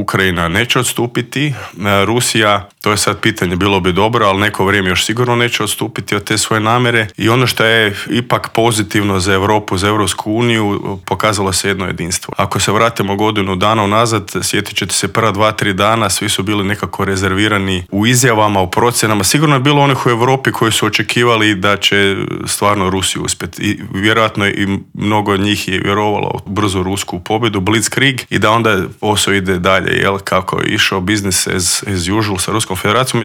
Ukrajina neće odstupiti, Rusija, to je sad pitanje, bilo bi dobro, ali neko vrijeme još sigurno neće odstupiti od te svoje namjere. I ono što je ipak pozitivno za Europu, za Europsku uniju, pokazalo se jedno jedinstvo. Ako se vratimo godinu dana unazad, sjetit ćete se prva 2-3 dana, svi su bili nekako rezervirani u izjavama, u procjenama. Sigurno je bilo onih u Europi koji su očekivali da će stvarno Rusiju uspjeti. I vjerojatno i mnogo od njih je vjerovalo u brzu rusku pobjedu, Blitzkrieg, i da onda posao ide dalje, kako je išao business as usual sa Ruskom federacijom.